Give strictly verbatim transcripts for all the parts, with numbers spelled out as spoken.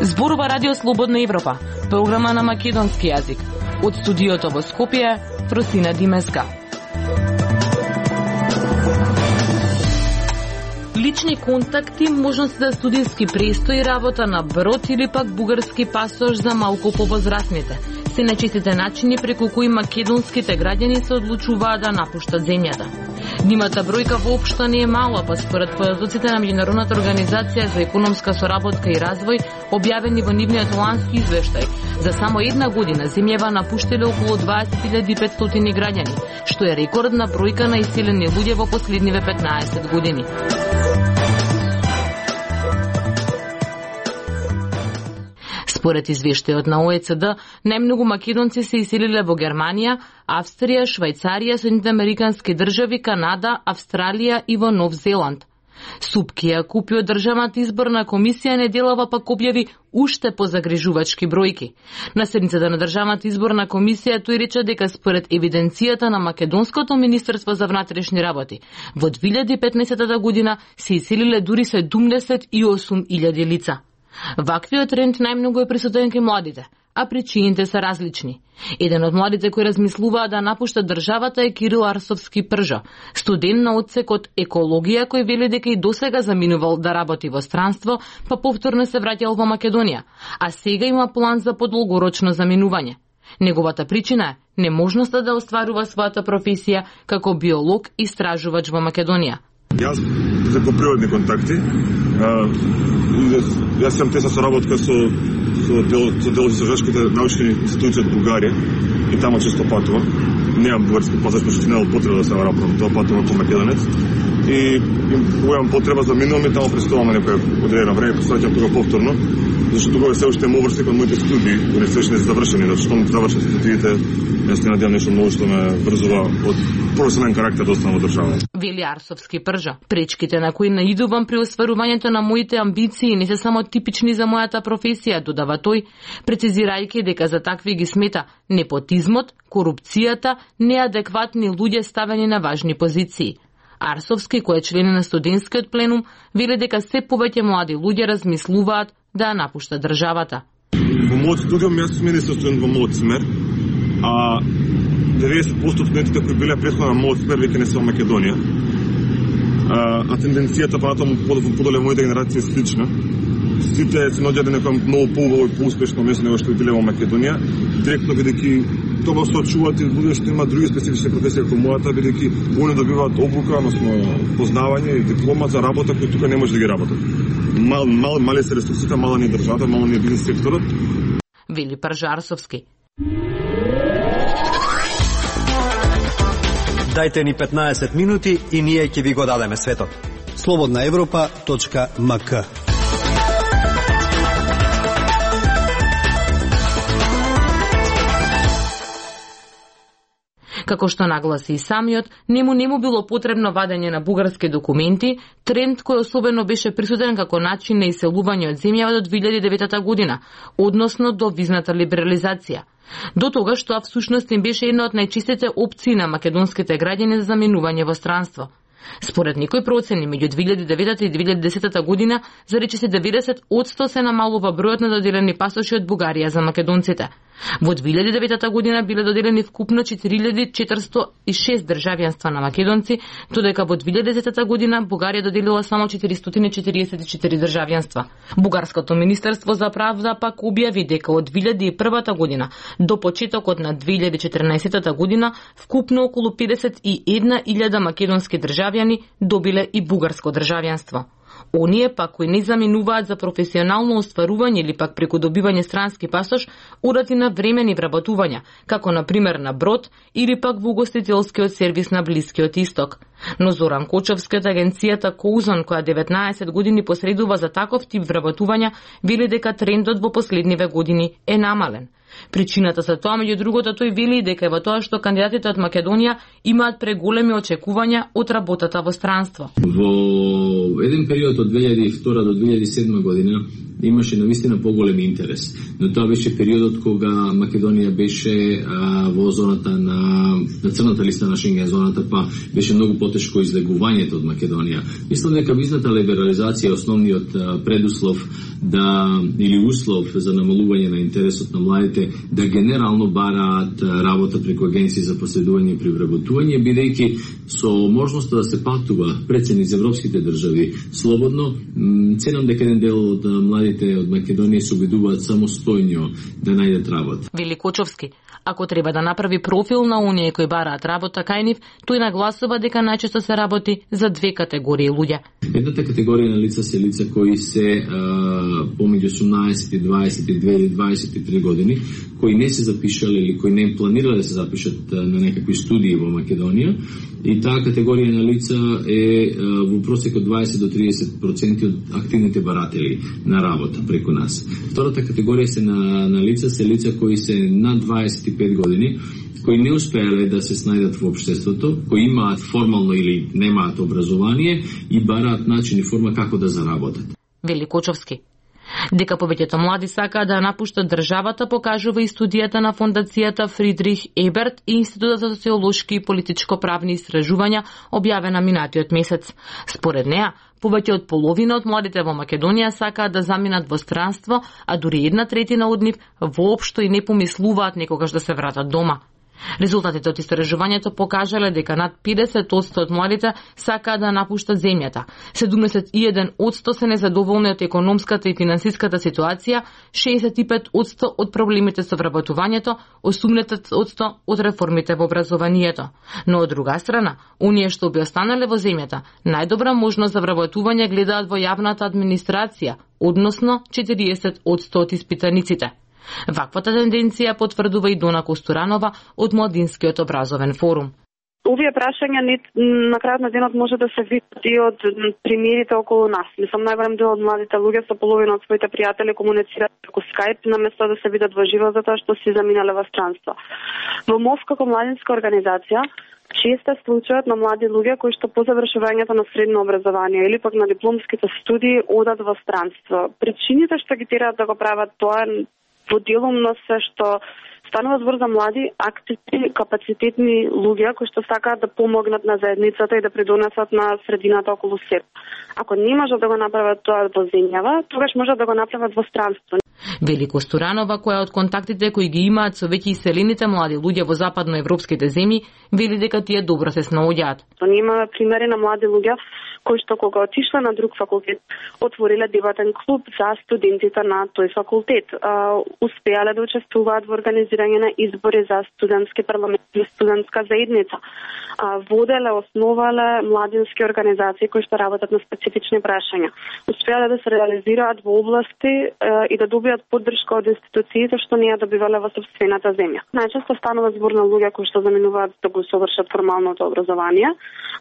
Зборува Радио Слободна Европа, програма на македонски јазик. Од студиото во Скопје, Фросина Димеска. Лични контакти, можности за студиски престој, работа на брод или пак бугарски пасош за малку повозрасните. Се најчестите начини преку кои македонските граѓани се одлучуваат да напуштат земјата. Нивната бројка воопшто не е мала, па според податоците на Меѓународната организација за економска соработка и развој, објавени во нивниот лански извештај, за само една година земјава напуштиле околу дваесет илјади и петстотини граѓани, што е рекордна бројка на иселени луѓе во последниве петнаесет години. Според извештајот на О Е Це Де, најмногу македонци се иселиле во Германија, Австрија, Швајцарија, Соединените американски држави, Канада, Австралија и во Нов Зеланд. Супки ја купи од државната изборна комисија неделава пак објави уште позагрижувачки бројки. На седницата на државната изборна комисија тој рече дека според евиденцијата на Македонското министерство за внатрешни работи, во две илјади и петнаесета година се иселиле дури седумдесет и осум илјади лица. Ваквиот тренд најмногу е присутен кај младите, а причините се различни. Еден од младите кои размислуваат да напуштат државата е Кирил Арсовски Пржо, студент на одсекот екологија, кој вели дека и досега заминувал да работи во странство, па повторно се враќал во Македонија, а сега има план за подолгорочно заминување. Неговата причина е неможноста да остварува својата професија како биолог и истражувач во Македонија. Јас преку природни контакти, а, јас имам тесна соработка со со дел со дел истражувачките научни институции од Бугарија и таму често патувам. Немам бугарски пасош, пошто немам потреба да се работам, тоа патувам како македонец. И имам потреба да минувам и таму престојам некој одредено време, посваќам тога повторно, зашто тогаш се уште моврси кон моите студии, кои се уште не се завршени, зашто што завршат студиите, јас не надевам нешто ново што ме врзува од професионален карактер да останам во држава. Вели Арсовски Пржо. Пречките на кои наидувам при остварувањето на моите амбиции не се само типични за мојата професија, додава тој, прецизирајќи дека за такви ги смета непотизмот, корупцијата, неадекватни луѓе ставени на важни позиции. Арсовски, кој е член на студентскиот пленум, вели дека се повеќе млади луѓе размислуваат да напуштат државата. Во мојот студиум јас сум единствен студент во мојот смер, а деветдесет проценти од студентите кои биле претходно на мојот смер веќе не се во Македонија. А, а тенденцијата понатаму подоле моите генерации е слична. Сите се наоѓаат на некој многу поубаво и поуспешно место него што биле во Македонија, директно бидејќи тоа се очуваат и луѓе што имаат други специфични професии како мојата, бидејќи они добиваат обука, односно познавање и диплома за работа кои тука не може да ги работат. Мал, мал, мали се ресурсите, мала ни државата, мал ни бизнес секторот. Вели Пржо Арсовски. Дајте ни петнаесет минути и ние ќе ви го дадеме светот. слободна европа точка ем ка. Како што нагласи и самиот, нему не му било потребно вадење на бугарски документи, тренд кој особено беше присутен како начин на иселување од земјава до две илјади и девета година, односно до визната либерализација. До тогаш тоа всушност им беше една од најчистите опции на македонските граѓани за заминување во странство. Според некои процени, меѓу две илјади и девета и две илјади и десета година, за речиси деветдесет одсто се намалува бројот на доделени пасоши од Бугарија за македонците. Во две илјади и девета година биле доделени вкупно четири илјади четиристотини и шест државјанства на македонци, додека во две илјади и десета година Бугарија доделила само четиристотини четиридесет и четири државјанства. Бугарското министерство за правда пак објави дека од две илјади и прва година до почетокот на две илјади и четрнаесета година вкупно околу педесет и една илјада македонски државјани добиле и бугарско државјанство. Оние пак кои не заминуваат за професионално остварување или пак преку добивање странски пасош, одат и на времени вработувања, како на пример на брод или пак во угостителскиот сервис на Блискиот Исток. Но Зоран Кочовски од агенцијата Коузон, која деветнаесет години посредува за таков тип вработувања, вели дека трендот во последниве години е намален. Причината за тоа, меѓу другото, тој вели дека е во тоа што кандидатите од Македонија имаат преголеми очекувања од работата во странство. Во еден период од две илјади и втора до две илјади и седма година имаше навистина поголем интерес, но тоа беше периодот кога Македонија беше а, во зоната на, на црната листа на Шенген зоната, па беше многу потешко излегувањето од Македонија. Мислам дека визната либерализација е основниот а, предуслов да или услов за намалување на интересот на младите да генерално бараат работа преку агенции за последување и привработување, бидејќи со можноста да се патува прецен из европските држави слободно, ценам дека еден дел од младите од Македонија се обидуваат самостојно да најдат работа. Великочовски, ако треба да направи профил на оние кои бараат работа кај нив, тој нагласува дека најчесто се работи за две категории луѓе. Едната категорија на лица се лица кои се а, помеѓу осумнаесет и дваесет и две или дваесет и три години, кои не се запишале или кои не планирале да се запишат а, на некакви студии во Македонија, и таа категорија на лица е а, во просек од дваесет до триесет проценти од активните баратели на работа преку нас. Втората категорија се на, на лица се лица кои се над дваесет и пет години, кои не успеале да се снајдат во општеството, кои имаат формално или немаат образование и бараат начин и форма како да заработат. Великочовски. Дека повеќето млади сакаат да напуштат државата покажува и студијата на фондацијата Фридрих Еберт и Институтот за социолошки и политичко-правни истражувања, објавена минатиот месец. Според неа, повеќе од половина од младите во Македонија сакаат да заминат во странство, а дури една третина од нив воопшто и не помислуваат некогаш да се вратат дома. Резултатите од истражувањето покажале дека над педесет одсто од младите сакаат да напуштат земјата, седумдесет и еден одсто се незадоволни од економската и финансиската ситуација, шеесет и пет одсто од проблемите со вработувањето, осумдесет одсто од реформите во образованието. Но од друга страна, оние што би останале во земјата, најдобра можност за вработување гледаат во јавната администрација, односно четириесет одсто од испитаниците. Ваквата тенденција потврдува и Дона Костуранова од Младинскиот образовен форум. Овие прашања на крајот на денот може да се видат и од примерите околу нас. Мислам, најголем дел од младите луѓе со половина од своите пријатели комуницираат преку Skype наместо да се видат во живо затоа што си заминале во странство. Во МОВ како младинска организација често е случајот на млади луѓе кои што по завршувањето на средно образование или пак на дипломските студии одат во странство. Причините што ги тераат да го прават тоа во делумно се што станува збор за млади, активни, капацитетни луѓе кои што сакаат да помогнат на заедницата и да придонесат на средината околу себе. Ако не можат да го направат тоа во земјава, тогаш можат да го направат во странство. Велико Стуранова, која од контактите кои ги имаат со веќе иселените млади луѓе во западноевропските земји, вели дека тие добро се снаоѓаат. Ние имаме примери на млади луѓе кои што кога отишле на друг факултет, отвориле дебатен клуб за студентите на тој факултет. Uh, успеале да учествуваат во организирање на избори за студентски парламент и студентска заедница. Uh, воделе, основале младински организации кои што работат на специфични прашања. Успеале да се реализираат во области uh, и да добијат поддршка од институциите што не ја добивале во собствената земја. Најчесто станува збор на луѓе кои што заминуваат да го совршат формалното образование.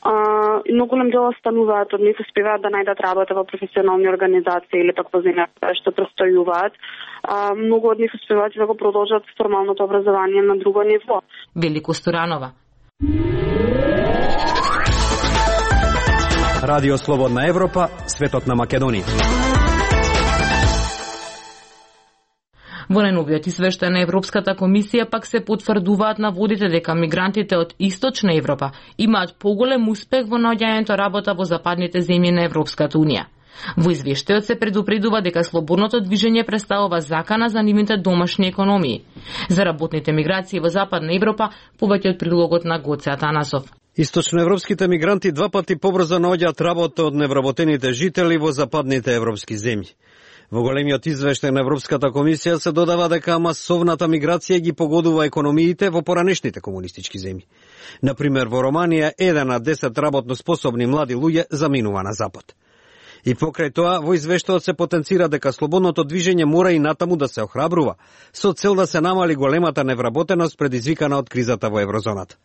Uh, и многу голем дел останува од нив успеваат да најдат работа во професионални организации или пак во земја што престојуваат. А, многу од нив успеваат да го продолжат формалното образование на друго ниво. Велико Стуранова. Радио Слободна Европа, светот на Македонија. Во најновиот извештај на Европската комисија пак се потврдуваат наводите дека мигрантите од Источна Европа имаат поголем успех во наоѓањето работа во западните земји на Европската унија. Во извештајот се предупредува дека слободното движење представува закана за нивните домашни економии. За работните миграции во Западна Европа повеќе од прилогот на Гоце Атанасов. Источноевропските мигранти два пати побрзо наоѓаат работа од невработените жители во западните европски земји. Во големиот извештај на Европската комисија се додава дека масовната миграција ги погодува економиите во поранешните комунистички земји. Например, во Романија еден на десет работно способни млади луѓе заминува на запад. И покрај тоа, во извештајот се потенцира дека слободното движење мора и натаму да се охрабрува, со цел да се намали големата невработеност предизвикана од кризата во еврозоната.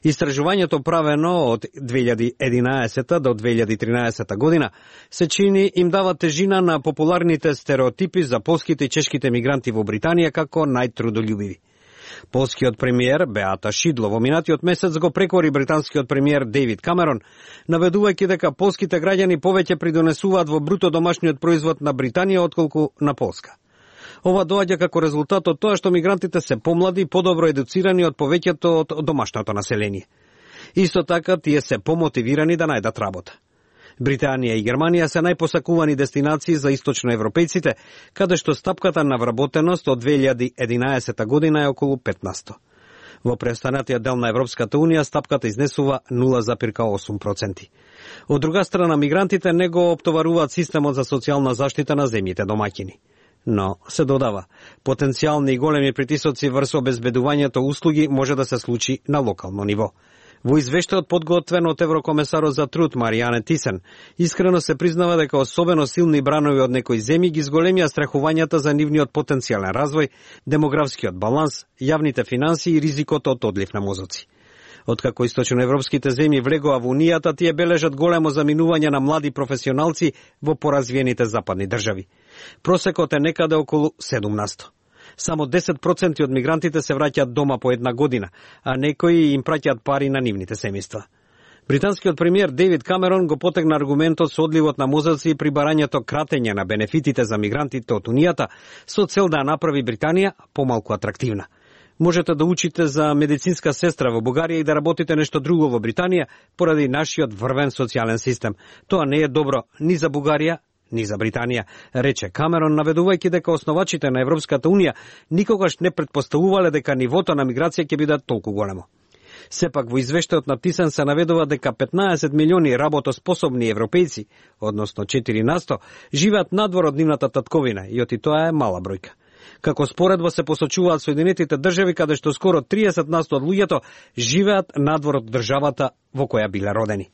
Истражувањето правено од две илјади и единаесета до две илјади и тринаесета година се чини им дава тежина на популарните стереотипи за полските и чешките мигранти во Британија како најтрудолюбиви. Полскиот премиер Беата Шидло во минатиот месец го прекори британскиот премиер Дејвид Камерон, наведувајќи дека полските граѓани повеќе придонесуваат во бруто домашниот производ на Британија отколку на Полска. Ова доаѓа како резултат од тоа што мигрантите се помлади и подобро едуцирани од повеќето од домашното население. Исто така, тие се помотивирани да најдат работа. Британија и Германија се најпосакувани дестинации за источноевропејците, каде што стапката на вработеност од две илјади и единаесета година е околу петнаесет. Во преостанатиот дел на Европската Унија стапката изнесува нула зарез осум проценти. Од друга страна, мигрантите не го оптоваруваат системот за социјална заштита на земјите домаќини. Но, се додава, потенцијални и големи притисоци врз обезбедувањето услуги може да се случи на локално ниво. Во извештајот подготвен од еврокомесарот за труд Маријане Тисен, искрено се признава дека особено силни бранови од некои земји ги зголемија страхувањата за нивниот потенцијален развој, демографскиот баланс, јавните финансии и ризикото од одлив на мозоци. Откако источноевропските земји влегоа во Унијата, тие бележат големо заминување на млади професионалци во поразвиените западни држави. Просекот е некаде околу седумнаесет. Само десет проценти од мигрантите се враќаат дома по една година, а некои им праќаат пари на нивните семејства. Британскиот премиер Дејвид Камерон го потегна аргументот со одливот на мозоци и прибарањето кратење на бенефитите за мигрантите од Унијата со цел да направи Британија помалку атрактивна. Можете да учите за медицинска сестра во Бугарија и да работите нешто друго во Британија поради нашиот врвен социјален систем. Тоа не е добро ни за Бугарија, ни за Британија, рече Камерон, наведувајќи дека основачите на Европската Унија никогаш не претпоставувале дека нивото на миграција ќе биде толку големо. Сепак во извештајот на Тисен се наведува дека петнаесет милиони работоспособни европејци, односно четири на сто, живеат надвор од нивната татковина и оти тоа е мала бројка. Како споредба се посочуваат Соединетите држави, каде што скоро триесет на сто од луѓето живеат надвор од државата во која биле родени.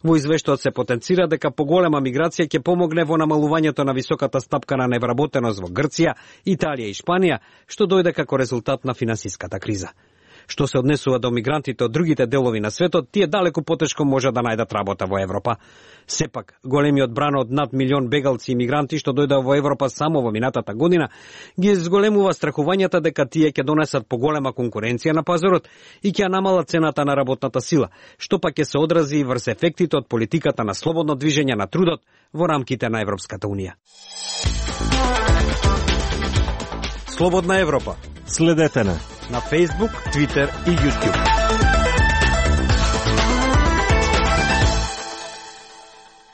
Во извештајот се потенцира дека поголема миграција ќе помогне во намалувањето на високата стапка на невработеност во Грција, Италија и Шпанија, што дојде како резултат на финансиската криза. Што се однесува до мигрантите од другите делови на светот, тие далеку потешко може да најдат работа во Европа. Сепак, големиот бран од над милион бегалци и мигранти што дојдоа во Европа само во минатата година, ги зголемува страхувањата дека тие ќе донесат поголема конкуренција на пазарот и ќе намалат цената на работната сила, што пак ќе се одрази врз ефектите од политиката на слободно движење на трудот во рамките на Европската Унија. Слободна Европа. Следете на на Facebook, Twitter и YouTube.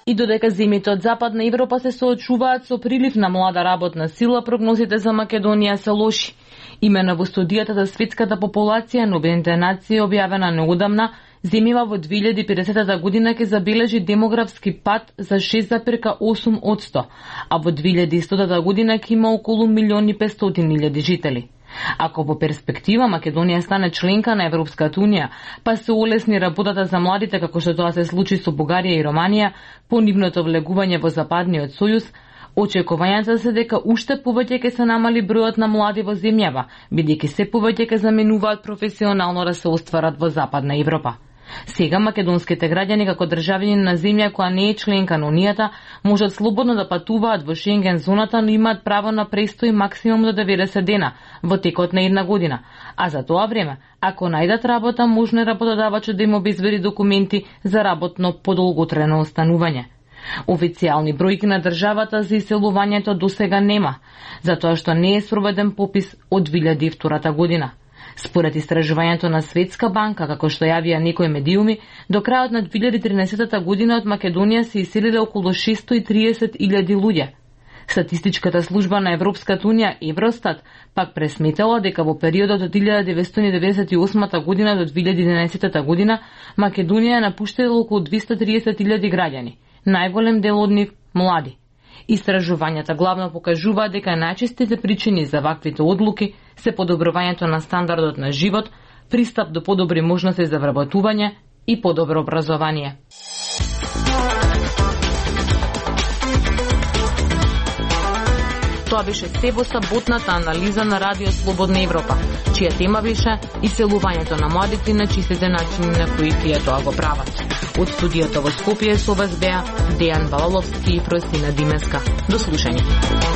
И додека земјите од Западна Европа се соочуваат со прилив на млада работна сила, прогнозите за Македонија се лоши. Имено во студијата за светската популација на Обединетите нации, објавена неодамна, земјава во две илјади и педесета година ќе забележи демографски пад за шест зарез осум одсто, а во две илјади и стотата година ќе има околу милион и петстотини илјади жители. Ако во перспектива Македонија стане членка на Европската Унија, па се олесни работата за младите како што тоа се случи со Бугарија и Романија, по нивното влегување во Западниот сојуз, очекувањата се дека уште повеќе ќе се намали бројот на млади во земјава, бидејќи се повеќе ќе заменуваат професионално да се остварат во Западна Европа. Сега македонските граѓани како државјани на земја која не е членка на Унијата можат слободно да патуваат во Шенген зоната, но имаат право на престој максимум до деветдесет дена во текот на една година. А за тоа време, ако најдат работа, можно е работодавачот да им обезбеди документи за работно подолготрено останување. Официјални бројки на државата за иселувањето досега нема, затоа што не е спроведен попис од две илјади и втора година. Според истражувањето на Светска банка, како што јавија некои медиуми, до крајот на две илјади и тринадесета година од Македонија се иселиле околу шестстотини и триесет илјади луѓе. Статистичката служба на Европската Унија Евростат пак пресметала дека во периодот од илјада деветстотини деведесет и осма година до две илјади и единаесета година Македонија напуштила околу двесте и триесет илјади граѓани, најголем дел од нив млади. Истражувањата главно покажуваат дека најчестите причини за ваквите одлуки се подобрувањето на стандардот на живот, пристап до подобри можности за вработување и подобро образование. Тоа беше се во саботната анализа на Радио Слободна Европа, чија тема беше иселувањето на младите и на чистите начини на кои тие тоа го прават. Од студиото во Скопје со вас беа Дејан Балаловски и Просина Димеска. До слушање.